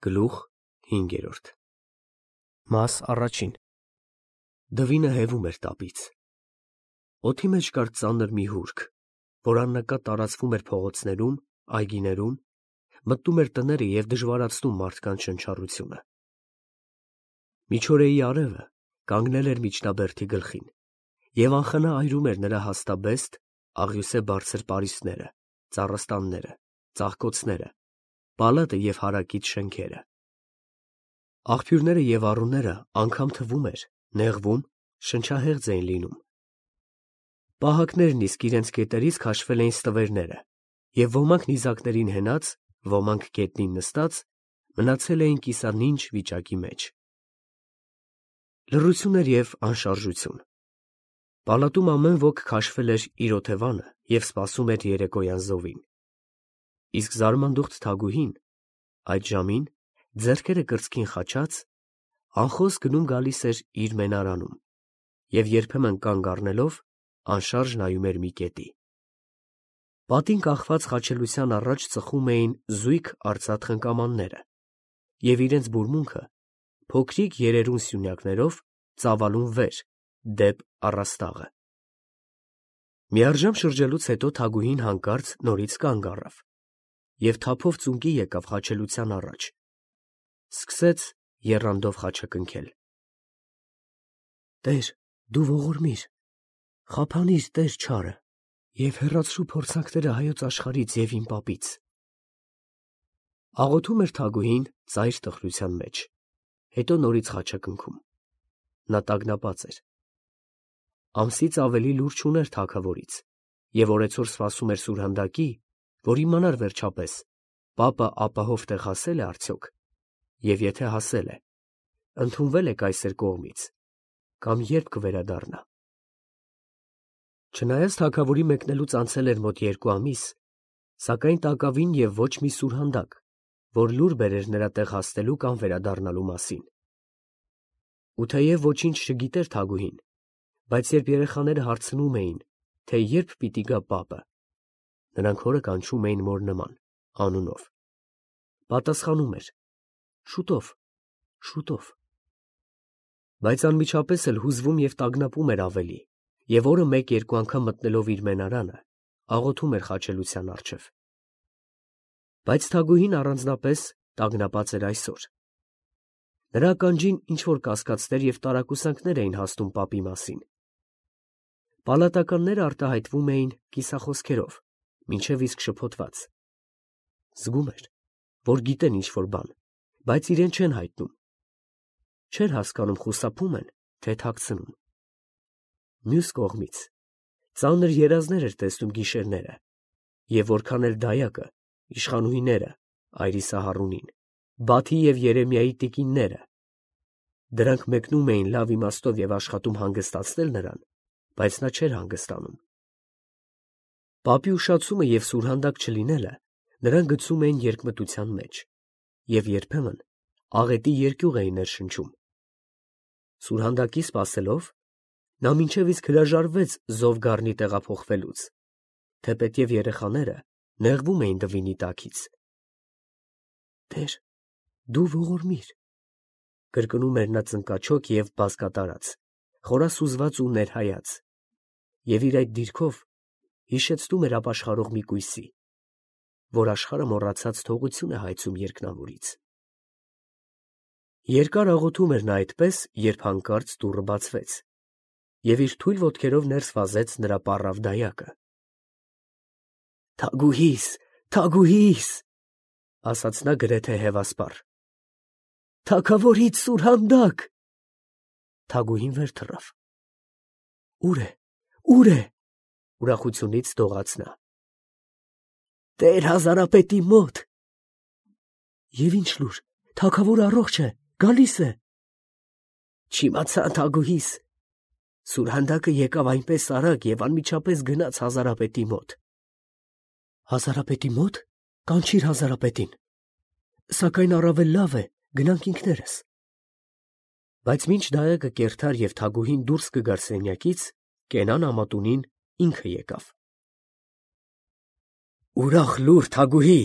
Գլուխ 5 Մաս առաջին Դվինը հևում էր տապից։ Օդի մեջ կար ծանր մի հուրք, որ աննկատ տարածվում էր փողոցներում, այգիներում, մտնում էր տները և դժվարացնում մարդկանց շնչառությունը։ Միջօրեի արևը կանգնել էր միջնաբերդի գլխին և անխնա այրում էր նրա հաստաբեստ, աղյուսե բարձր պարիսպները, ծառաստանները, ծաղկոցները, պալատը և հարակից շենքերը։ Աղբյուրները և առուները անգամ թվում էր, նեղվում, շնչահեղձ էին լինում։ Պահակներն իսկ իրենց կետերից քաշվել էին ստվերները, և ոմանք նիզակներին հենած, ոմանք գետնին նստած, մնացել էին կիսանինջ վիճակի մեջ։ Լռություն էր և անշարժություն։ Պալատում ամեն ոք քաշվել էր իր օթևանը և սպասում էր երեկոյան զովին։ Իսկ զարմանդուխտ Թագուհին այդ ժամին, ձեռքերը կրծքին խաչած, անխոս գնում֊գալիս էր իր մենարանում և երբեմն կանգ առնելով անշարժ նայում էր մի կետի։ Պատին կախված խաչելության առաջ ծխում էին զույգ արծաթ խնկամանները և իրենց բուրմունքը փոքրիկ երերուն սյունյակներով ծավալուն վեր, դեպ առաստաղը։ Միառժամ շրջելուց հետո Թագուհին հանկարծ նորից կանգ առավ և թափով ծունկի եկավ խաչելության առաջ, սկսեց եռանդով խաչակնքել. «Տեր, դու ողորմիր, խափանիր, Տեր չարը և հեռացրու փորձանքները հայոց աշխարհից և իմ պապից»։ Աղոթում էր Թագուհին ծայր տխրության մեջ, հետո նորից խաչակնքում։ Նա տագնապած էր։ Ամսից ավելի լուր չուներ թագավորից և օրեցօր սպասում էր սուրհանդակի, որ իմանար վերջապես, պապը ապահով տեղ հասել է արդյոք, և եթե հասել է, ընդունվել է կայսեր կողմից, կամ երբ կվերադառնա։ Չնայած թագավորի մեկնելուց անցել էր մոտ 2 ամիս, սակայն տակավին և ոչ մի սուրհանդակ, որ լուր բերեր նրա տեղ հասնելու կամ վերադառնալու մասին։ Ու թեև ոչինչ չգիտեր Թագուհին, բայց երբ երեխաները հարցնում էին, թե երբ պիտի գա պապը, նրանք հորը կանչում էին մոր նման, անունով, պատասխանում էր. շուտով, շուտով։ Բայց անմիջապես էլ հուզվում և տագնապում էր ավելի և օրը մեկ֊երկու անգամ մտնելով իր մենարանը, աղոթում էր խաչելության առջև։ Բայց Թագուհին առանձնապես տագնապած էր այսօր։ Նրա ականջին ինչ֊որ կասկածներ և տարակուսանքներ էին հասնում պապի մասին։ Պալատականները արտահայտվում էին կիսախոսքերով, մինչև իսկ շփոթված։ Զգում էր, որ գիտեն ինչ֊որ բան, բայց իրեն չեն հայտնում։ Չէր հասկանում խուսափում են, թե թաքցնում։ Մյուս կողմից, ծանր երազներ էր տեսնում գիշերները, և որքան էլ դայակը, իշխանուհիները, այրիսահարունին, Բաթի և Երեմիայի տիկինները, դրանք մեկնում էին լավ իմաստով և աշխատում հանգստացնել նրան, բայց նա չէր հանգստանում։ Պապի ուշացումը և սուրհանդակ չլինելը նրան գցում էին երկմտության մեջ և երբեմն աղետի երկյուղ էին ներշնչում։ Սուրհանդակի սպասելով, նա մինչև իսկ հրաժարվեց զովգառնի տեղափոխվելուց, թեպետև երեխաները նեղվում էին Դվինի տաքից։ «Տեր, դու ողորմիր», կրկնում էր նա ծնկաչոք և բազկատարած, խորասուզված ու ներհայած, և իր այդ դիրքով հիշեցնում էր ապաշխարող մի կույսի, որ աշխարհը մոռացած թողություն է հայցում երկնավորից։ Երկար աղոթում էր նա այդպես, երբ հանկարծ դուռը բացվեց, և իր թույլ ոտքերով ներս վազեց նրա պառավ դայակը։ «Թագուհիս, թագուհիս», ասաց նա գրեթե հևասպառ, «թագավորից սուրհանդակ»։ Թագուհին վեր թռավ։ «Ո՞ւր է, ո՞ւր է», ուրախությունից դողաց նա։ «Տեր հազարապետի մոտ»։ «Եվ ի՞նչ լուր, թագավորը առողջ է, գալիս է»։ «Չիմացա, թագուհիս, սուրհանդակը եկավ այնպես արագ և անմիջապես գնաց հազարապետի մոտ»։ «Հազարապետի մոտ, կանչիր հազարապետին, սակայն առավել լավ է գնանք ինքներս»։ Բայց մինչ դայակը կերթար և Թագուհին դուրս կգար սենյակից, կենան ամատունին ինքը եկավ։ «Ուրախ լուր, թագուհի»,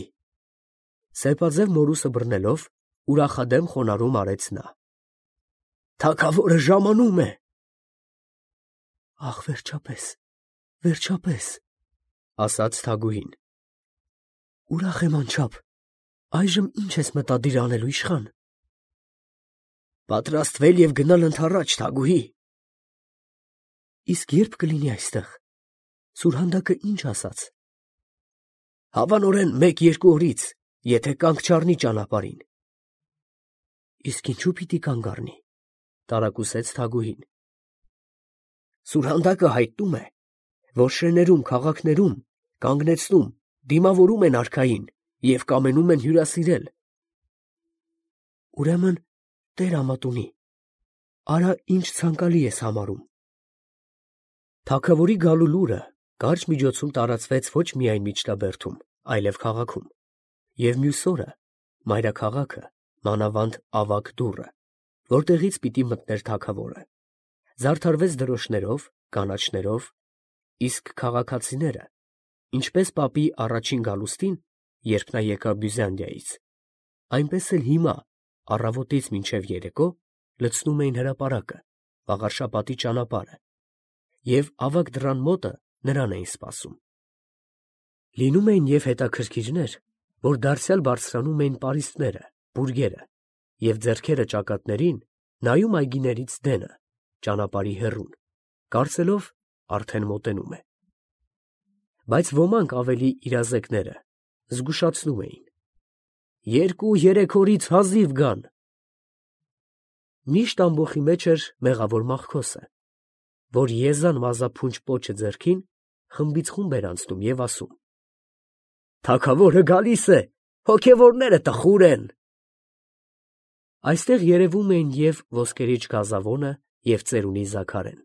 սեպաձև մորուսը բռնելով, ուրախադեմ խոնարհում արեց նա։ Թագավորը ժամանում է։ Ախ, վերջապես, վերջապես, ասաց Թագուհին։ Ուրախ եմ անչափ, այժմ ինչ ես մտադիր անելու, իշխան։ Պատրաստվել և գնալ ընդառաջ, Թագուհի։ Իսկ երբ կլինի այստեղ։ Սուրհանդակը ինչ ասաց։ Հավանորեն 1-2 օրից, եթե կանգ չառնի ճանապարհին։ Իսկ ինչու պիտի կանգ առնի, տարակուսեց Թագուհին։ Սուրհանդակը հայտնում է, որ շեներում, քաղաքներում կանգնեցնում, դիմավորում են արքային և կամենում են հյուրասիրել։ Ուրեմն Տեր ամատունի, արա ինչ ցանկալի ես համարում։ Թագավորի գալու լուրը կարճ միջոցում տարածվեց ոչ միայն Միջնաբերդում, այլև քաղաքում, և մյուս օրը մայրաքաղաքը, մանավանդ ավագ դուռը, որտեղից պիտի մտներ թագավորը, զարդարվեց դրոշներով, կանաչներով, իսկ քաղաքացիները, ինչպես պապի առաջին գալուստին, երբ նա եկավ Բյուզանդիայից, այնպես էլ հիմա, առավոտից մինչև երեկո, լցնում էին հրապարակը, Վաղարշապատի ճանապարհը, և ավագ դռան մոտը նրան էին սպասում։ Լինում էին և հետաքրքիրներ, որ դարձյալ բարձրանում էին պարիսպները, բուրգերը, և ձեռքերը ճակատներին նայում այգիներից դենը, ճանապարհի հեռուն, կարծելով արդեն մոտենում է։ Բայց ոմանք ավելի իրազեկները զգուշացնում էին. 2-3 օրից հազիվ գան։ Միշտ ամբոխի մեջ էր մեղավոր Մախքոսը, որ եզան մազափունչ պոչը ձեռքին խմբից խումբ էր անցնում և ասում. Թագավորը գալիս է, հոգևորները տխուր են։ Այստեղ երևում էին և Ոսկերիչ Գազավոնը և Ծերունի Զաքարեն։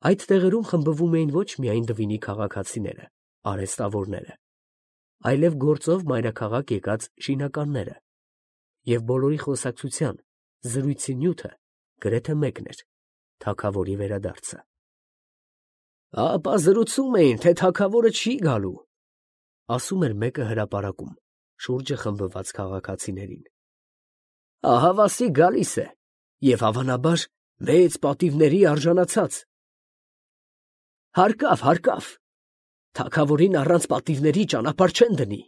Այդ տեղերում խմբվում էին ոչ միայն Դվինի քաղաքացիները, արհեստավորները, այլև գործով մայրաքաղաք եկած շինականները, և բոլորի խոսակցության, զրույցի նյութը գրեթե մեկն էր. թագավորի վերադարձը։ Ապա զրուցում էին, թե թագավորը չի գալու, ասում էր մեկը հրապարակում, շուրջը խմբված քաղաքացիներին։ Ահավասիկ գալիս է, և հավանաբար մեծ պատիվների արժանացած։ Հարկավ, հարկավ, թագավորին առանց պատիվների ճանապարհ չեն դնի,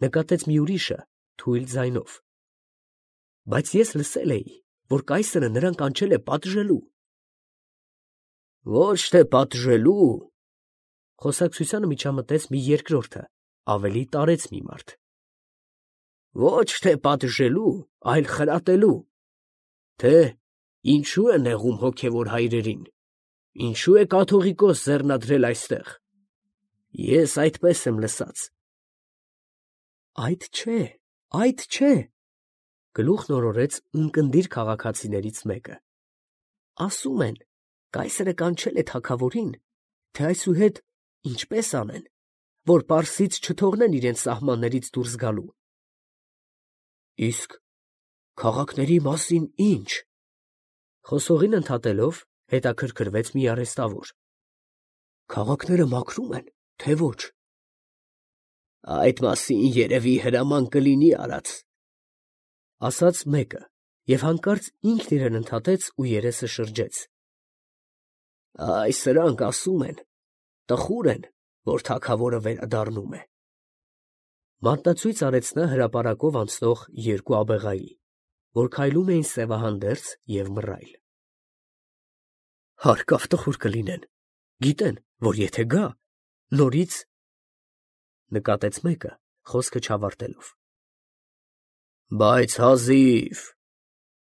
նկատեց մի ուրիշը թույլ ձայնով։ Բայց ես լսել էի, որ կայսրը նրան կանչել է պատժելու։ Ոչ թե պատժելու, խոսակցությանը միջամտեց մի երկրորդը, ավելի տարեց մի մարդ։ Ոչ թե պատժելու, այլ խրատելու, թե ինչու է նեղում հոգևոր հայրերին, ինչու է կաթողիկոս ձեռնադրել այստեղ։ Ես այդպես եմ լսած։ Այդ չէ, գլուխ նորորեց ունկնդիր քաղաքացիներից մեկը։ Ասում են, կայսրը կանչել է թագավորին, թե այսուհետ ինչպես անեն, որ Պարսից չթողնեն իրենց սահմաններից դուրս գալու։ Իսկ քաղաքների մասին ինչ։ Խոսողին ընդհատելով հետաքրքրվեց մի արհեստավոր։ Քաղաքները մաքրում են, թե ոչ։ Այդ մասին երևի հրաման կլինի արած, ասաց մեկը, և հանկարծ ինքն իրեն ընդհատեց ու երեսը շրջեց։ Այ սրանք ասում են, տխուր են, որ թագավորը վերադառնում է։ Մատնացույց արեց նա հրապարակով անցնող երկու աբեղայի, որ քայլում էին սևահանդերձ և մռայլ։ Հարկավ տխուր կլինեն, գիտեն, որ եթե գա, նորից, նկատեց մեկը, խոսքը չավարտելով։ Բայց հազիվ,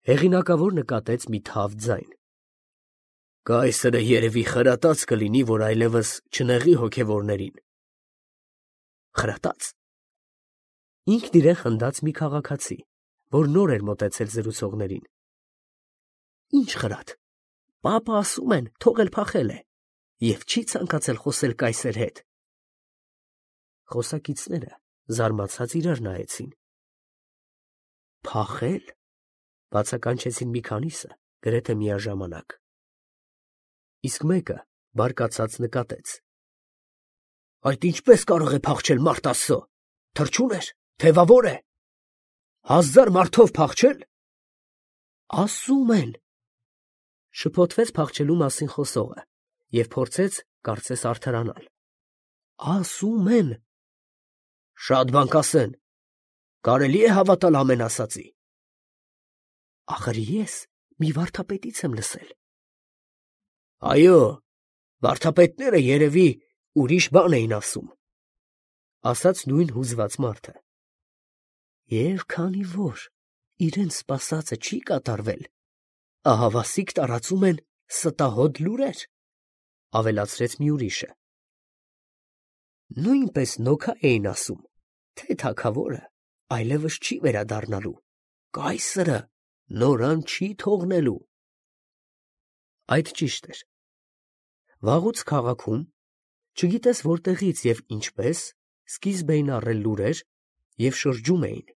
հեղինակավոր նկատեց մի թավ ձայն։ Կայսրը երևի խրատած կլինի, որ այլևս չնեղի հոգևորներին։ Խրատած։ Ինքն իրեն խնդաց մի քաղաքացի, որ նոր էր մոտեցել զրուցողներին։ Ինչ խրատ։ Պապը ասում են, թողել փախել է, և չի ցանկացել խոսել կայսեր հետ։ Խոսակիցները զարմացած իրար նայեցին։ Փախել, բացականչեցին մի քանիսը գրեթե միաժամանակ։ Իսկ մեկը բարկացած նկատեց. Այդ ինչպես կարող է փախչել մարդ Աստծո, թռչուն էր, թևավոր է։ 1000 մարդով փախչել։ Ասում են, շփոթվեց փախչելու մասին խոսողը և փորձեց կարծես արդարանալ։ Ասում են, շատ բան կասեն, կարելի է հավատալ ամեն ասածի։ Ախր ես մի վարդապետից եմ լսել։ Այո, վարդապետները երևի ուրիշ բան էին ասում, ասաց նույն հուզված մարդը։ Եվ քանի որ իրենց սպասածը չի կատարվել, ահավասիկ տարածում են ստահոդ լուրեր, ավելացրեց մի ուրիշը։ Նույնպես նոքա էին ասում, թե թագավորը այլևս չի վերադառնալու, կայսրը նորան չի թողնելու։ Այդ ճիշտ էր։ Վաղուց քաղաքում, չգիտես որտեղից և ինչպես, սկիզբ էին առել լուրեր և շրջում էին,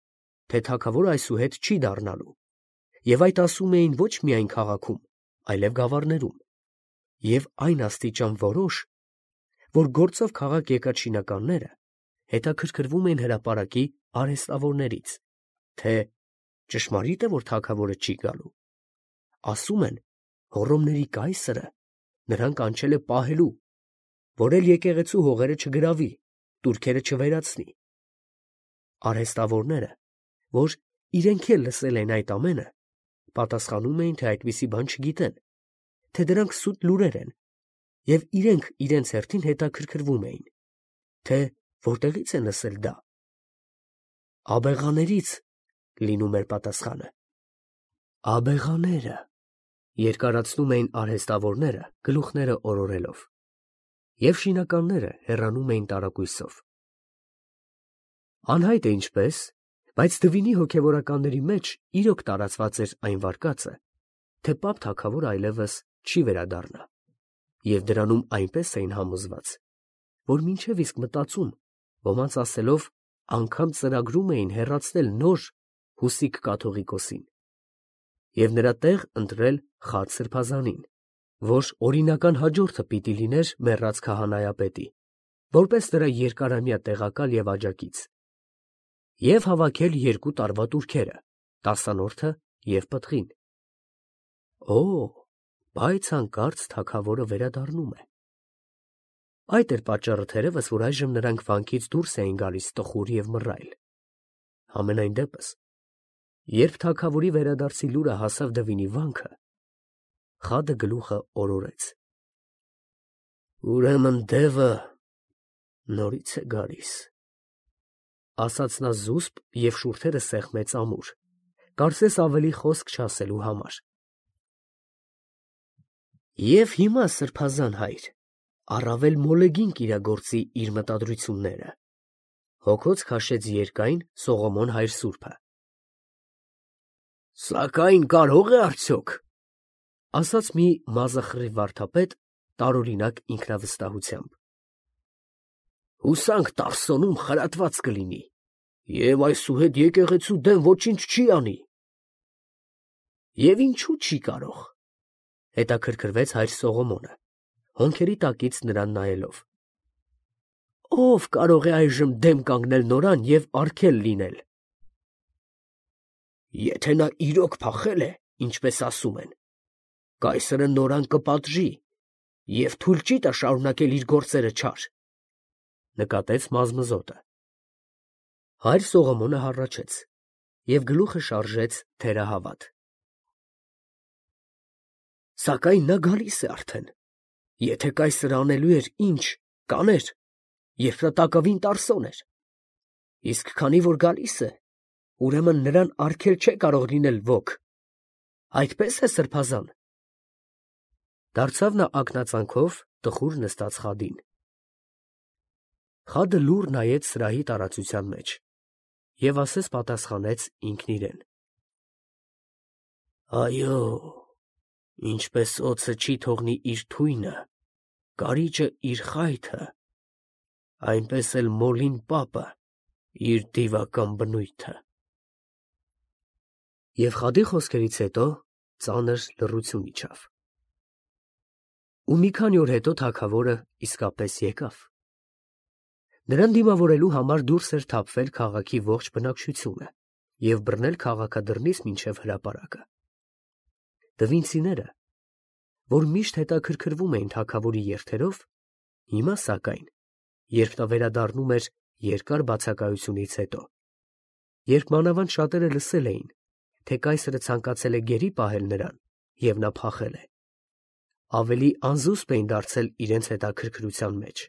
թե թագավորը այսուհետ չի դառնալու, և այդ ասում էին ոչ միայն քաղաքում, այլև գավառներում, և այն աստիճան որոշ, որ գործով քաղաք եկած շինականները հետաքրքրվում էին հրապարակի արհեստավորներից, թե ճշմարիտ է, որ թագավորը չի գալու։ Ասում են, Հոռոմների կայսրը նրան կանչել է պահելու, որ էլ եկեղեցու հողերը չգրավի, տուրքերը չվերացնի։ Արհեստավորները, որ իրենք էլ լսել են այդ ամենը, պատասխանում էին, թե այդպիսի բան չգիտեն, թե դրանք սուտ լուրեր են, և իրենք իրենց հերթին հետաքրքրվում էին, թե որտեղից են լսել դա։ Աբեղաներից լինում էր պատասխանը։ Աբեղաները, երկարացնում էին արհեստավորները գլուխները օրորելով, և շինականները հեռանում էին տարակույսով։ Անհայտ է ինչպես, բայց Դվինի հոգևորականների մեջ իրոք տարածված էր այն վարկածը, թե պապ թագավորը այլևս չի վերադառնա, և դրանում այնպես էին համոզված, որ մինչև իսկ մտածում, ոմանց ասելով, անգամ ծրագրում էին հեռացնել նոր Հուսիկ կաթողիկոսին և նրա տեղ ընտրել Խաչ սրբազանին, որ օրինական հաջորդը պիտի լիներ մեռած քահանայապետի, որպես նրա երկարամյա տեղակալ և աջակից, և հավաքել 2 տարվա տուրքերը, տասանորդը և պտղին։ Օ, բայց հանկարծ թագավորը վերադառնում է։ Այդ էր պատճառը թերևս, որ այժմ նրանք վանքից դուրս էին գալիս տխուր և մռայլ։ Համենայն դեպս, երբ թագավորի վերադարձի լուրը հասավ Դվինի վանքը, խադը գլուխը օրորեց։ Ուրեմն դևը նորից է գալիս, ասաց նա զուսպ և շուրթերը սեղմեց ամուր, կարծես ավելի խոսք չասելու համար։ Եվ հիմա, սրբազան հայր, առավել մոլեգին կիրագործի իր մտադրությունները, հոգոց քաշեց երկայն Սողոմոն հայր սուրբը։ Սակայն կարող է արդյոք, ասաց մի մազախռիվ վարդապետ տարօրինակ ինքնավստահությամբ։ Հուսանք Տարսոնում խրատված կլինի, և այսուհետ եկեղեցու դեմ ոչինչ չի անի։ Եվ ինչու չի կարող, հետաքրքրվեց հայր Սողոմոնը, հոնքերի տակից նրան նայելով։ Ո՞վ կարող է այժմ դեմ կանգնել նորան և արգել լինել։ Եթե նա իրոք փախել է, ինչպես ասում են, կայսրը նորան կպատժի և թույլ չի տա շարունակել իր գործերը չար, նկատեց մազմզոտը։ Հայր Սողոմոնը հառաչեց և գլուխը շարժեց թերահավատ։ Սակայն նա գալիս է արդեն, եթե կայսրը անելու էր ինչ, կաներ, երբ նա տակավին Տարսոն էր, իսկ քանի որ գալիս է, ուրեմն նրան արգել չէ կարող լինել ոք, այդպես է սրբազան։ Դարձավ նա ակնածանքով տխուր նստած խադին։ Խադը լուռ նայեց սրահի տարածության մեջ և ասես պատասխանեց ինքն իրեն. Այո, ինչպես օձը չի թողնի իր թույնը, կարիճը իր խայթը, այնպես էլ մոլին պապը իր դիվական բնույթը։ Եվ խադի խոսքերից հետո ծանր լռություն իջավ։ Ու մի քանի օր հետո թագավորը իսկապես եկավ։ Նրան դիմավորելու համար դուրս էր թափվել քաղաքի ողջ բնակչությունը, և բռնել քաղաքադրնից մինչև հրապարակը։ Դվինցիները, որ միշտ հետաքրքրվում էին թագավորի երթերով, հիմա սակայն, երբ նա վերադառնում էր երկար բացակայությունից հետո, երբ մանավանդ շատերը լսել էին, թե կայսրը ցանկացել է գերի պահել նրան, և նա փախել է, ավելի անզուսպ էին դարձել իրենց հետաքրքրության մեջ։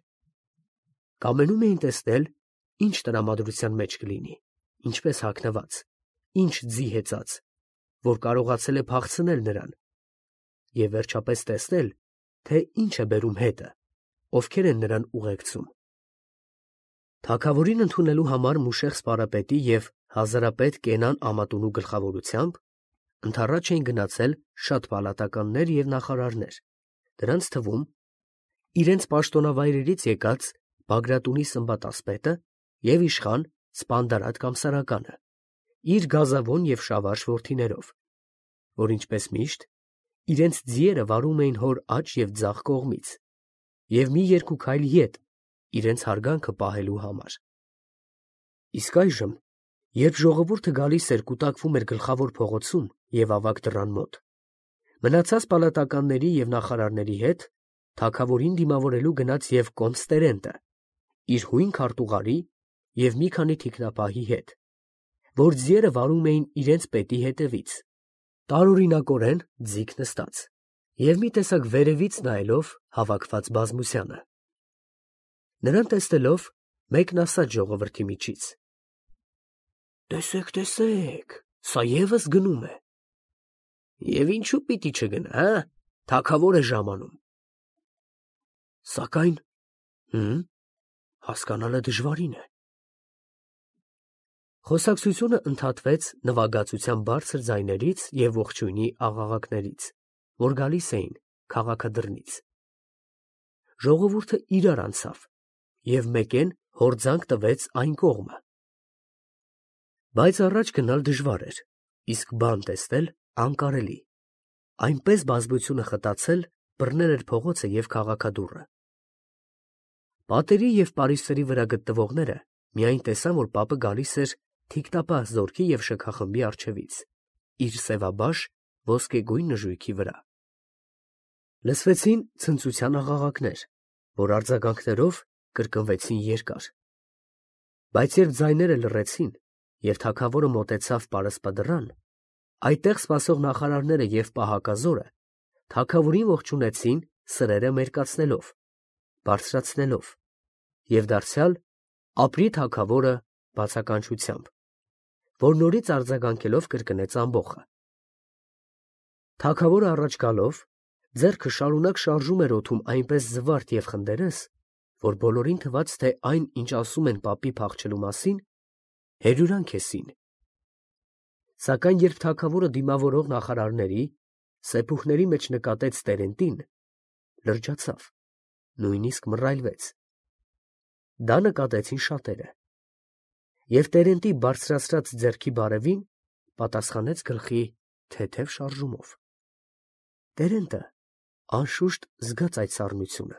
Կամենում էին տեսնել, ինչ տրամադրության մեջ կլինի, ինչպես հագնված, ինչ ձի հեծած, որ կարողացել է փախցնել նրան, և վերջապես տեսնել, թե ինչ է բերում հետը, ովքեր են նրան ուղեկցում։ Թագավորին ընդունելու համար Մուշեղ սպարապետի և հազարապետ Կենան Ամատունու գլխավորությամբ ընդառաջ էին գնացել շատ պալատականներ և նախարարներ, դրանց թվում իրենց պաշտոնավայրերից եկած Բագրատունի Սմբատասպետը և իշխան Սպանդարատ կամ Սարականը, իր գազավոն և շավարժ որդիներով, որ ինչպես միշտ իրենց ձիերը վարում էին հոր աջ և ձախ կողմից և մի երկու քայլ ետ իրենց հարգանքը պահելու համար։ Իսկ այժմ, երբ ժողովուրդը գալիս էր կուտակվում էր գլխավոր փողոցում և ավագ դռան մոտ, մնացած պալատականների և նախարարների հետ թագավորին դիմավորելու գնաց և կոմս Տերենտը, իր հույն քարտուղարի և մի քանի թիկնապահի հետ, որ ձիերը վարում էին իրենց պետի հետևից, տարօրինակորեն ձիգ նստած և մի տեսակ վերևից նայելով հավաքված բազմությանը։ Նրան տեսնելով, մեկն ասաց ժողովրդի միջից. «Տեսեք, տեսեք, սա ևս գնում է»։ Եվ ինչու պիտի չգնա, թագավոր է ժամանում։ Սակայն, հասկանալը դժվարին է։ Խոսակցությունը ընդհատվեց նվագածության բարձր ձայներից և ողջույնի աղաղակներից, որ գալիս էին քաղաքադրնից։ Ժողովուրդը իրար անցավ և մեկեն հորձանք տվեց այն կողմը։ Բայց առաջ գնալ դժվար էր, իսկ բան տեսնել անկարելի, այնպես բազմությունը խտացել բռնել էր փողոցը և քաղաքադուռը։ Պատերի և պարիսպերի վրա գտնվողները միայն տեսան, որ պապը գալիս էր թիկնապահ զորքի և շքախմբի առջևից, իր սևաբաշ ոսկեգույն նժույգի վրա։ Լսվեցին ցնծության աղաղակներ, որ արձագանքներով կրկնվեցին երկար։ Բայց երբ ձայները լռեցին և թագավորը մոտեցավ պարսպադռան, այդտեղ սպասող նախարարները և պահակազորը թագավորին ողջունեցին սրերը մերկացնելով, բարձրացնելով և դարձյալ ապրի թագավորը բացականչությամբ, որ նորից արձագանքելով կրկնեց ամբոխը։ Թագավորը առաջ գալով, ձեռքը շարունակ շարժում էր օդում այնպես զվարթ և խնդերես, որ բոլորին թվաց, թե այն, ինչ ասում են պապի փախչելու մասին, հերյուրանք է սին։ Սակայն երբ թագավորը դիմավորող նախարարների, սեպուխների մեջ նկատեց Տերենտին, լրջացավ, նույնիսկ մռայլվեց։ Դա նկատեցին շատերը։ Եվ Տերենտի բարձրացրած ձեռքի բարևին պատասխանեց գլխի թեթև շարժումով։ Տերենտը անշուշտ զգաց այդ սառնությունը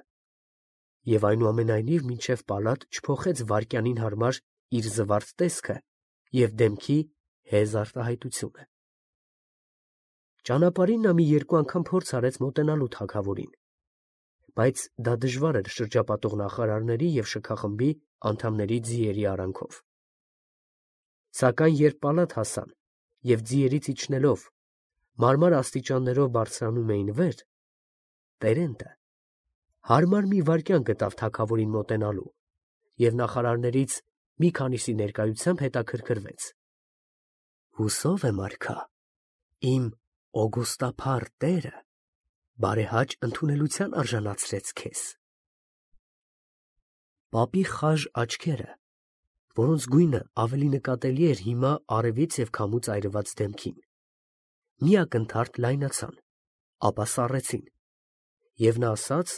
և այնուամենայնիվ մինչև պալատ չփոխեց վայրկյանին հարմար իր զվարթ տեսքը և դեմքի հեզ արտահայտությունը։ Ճանապարհին նա մի երկու անգամ փորձ արեց մոտենալու թագավորին, բայց դա դժվար էր շրջապատող նախարարների և շքախմբի անդամների ձիերի արանքով։ Սակայն երբ պալատ հասան և ձիերից իջնելով մարմար աստիճաններով բարձրանում էին վեր, Տերենտը հարմար մի վայրկյան գտավ թագավորին մոտենալու և նախարարներից մի քանիսի ներկայությամբ հետաքրքրվեց։ Հուսով եմ, արքա, իմ օգոստափառ տերը բարեհաճ ընդունելության արժանացրեց քեզ։ Պապի խաժ աչքերը, որոնց գույնը ավելի նկատելի էր հիմա արևից և քամուց այրված դեմքին, մի ակնթարթ լայնացան, ապա սառեցին, և նա ասաց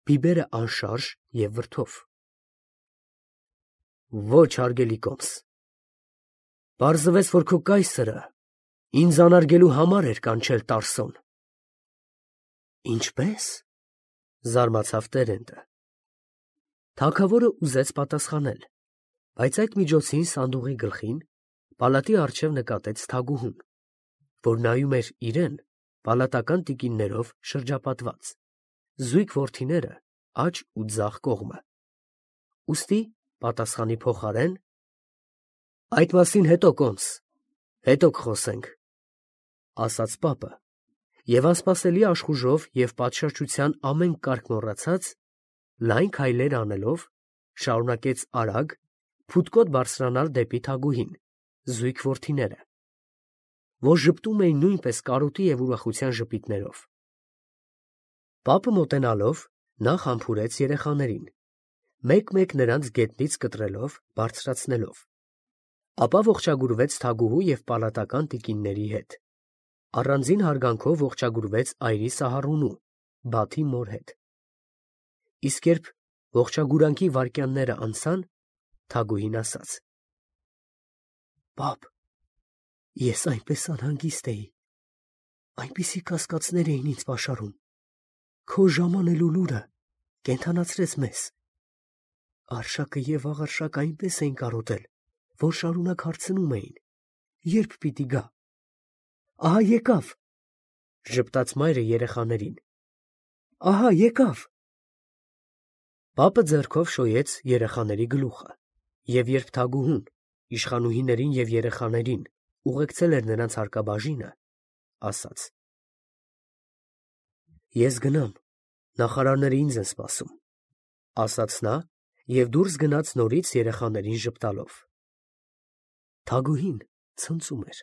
բիբերը անշարժ և վրդով. Ոչ, հարգելի կոմս, պարզվեց, որ քո կայսրը ինձ անարգելու համար էր կանչել Տարսոն։ Ինչպե՞ս, զարմացավ Տերենտը։ Թագավորը ուզեց պատասխանել, բայց այդ միջոցին սանդուղի գլխին Պալատի առջև նկատեց Թագուհուն, որ նայում էր իրեն պալատական տիկիններով շրջապատված, զույգ որդիները աջ ու ձախ կողմը։ Ուստի պատասխանի փոխարեն. «Այդ մասին հետո կոմս, հետո կխոսենք», ասաց պապը, և անսպասելի աշխուժով և պատշաճության ամեն կարգ մոռացած, լայն քայլեր անելով, շարունակեց արագ, փութկոտ բարձրանալ դեպի Թագուհին, զույգ որդիները, որ ժպտում էին նույնպես կարոտի և ուրախության ժպիտներով։ Պապը մոտենալով նախ համբուրեց երեխաներին, մեկ-մեկ նրանց գետնից կտրելով, բարձրացնելով, ապա ողջագուրվեց Թագուհու և պալատական տիկինների հետ, առանձին հարգանքով ողջագուրվեց այրի Սահարունու, Բաթի մոր հետ։ Իսկ երբ ողջագուրանքի վայրկյանները անցան, Թագուհին ասաց. «Պապ, ես այնպես անհանգիստ էի, այնպիսի կասկածներ էին ինձ պաշարում, քո ժամանելու լուրը կենդանացրեց մեզ։ Արշակը և աղարշակը այնպես էին կարոտել, որ շարունակ հարցնում էին. երբ պիտի գա։ Ահա եկավ», ժպտաց մայրը երեխաներին, «ահա եկավ»։ Պապը ձեռքով շոյեց երեխաների գլուխը, և երբ Թագուհուն իշխանուհիներին և երեխաներին ուղեկցել էր նրանց հարկաբաժինը, ասաց. «Ես գնամ, նախարարները ինձ են սպասում», ասաց նա և դուրս գնաց նորից երեխաներին ժպտալով։ Թագուհին ցնծում էր։